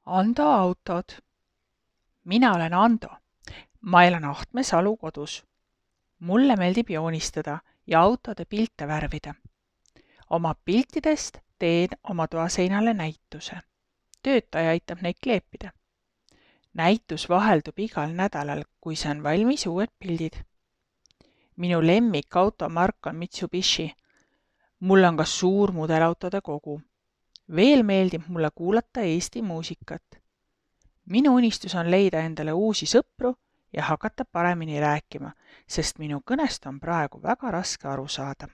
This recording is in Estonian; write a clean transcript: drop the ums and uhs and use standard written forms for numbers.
Ando autod. Mina olen Ando. Ma elan Ahtme Salu kodus. Mulle meeldib joonistada ja autode pilte värvida. Oma piltidest teen oma toaseinale näituse. Töötaja aitab neid kleepida. Näitus vaheldub igal nädalal, kui saan valmis uued pildid. Minu lemmik automark on Mitsubishi. Mul on ka suur mudelautode kogu. Veel meeldib mulle kuulata Eesti muusikat. Minu unistus on leida endale uusi sõpru ja hakata paremini rääkima, sest minu kõnest on praegu väga raske aru saada.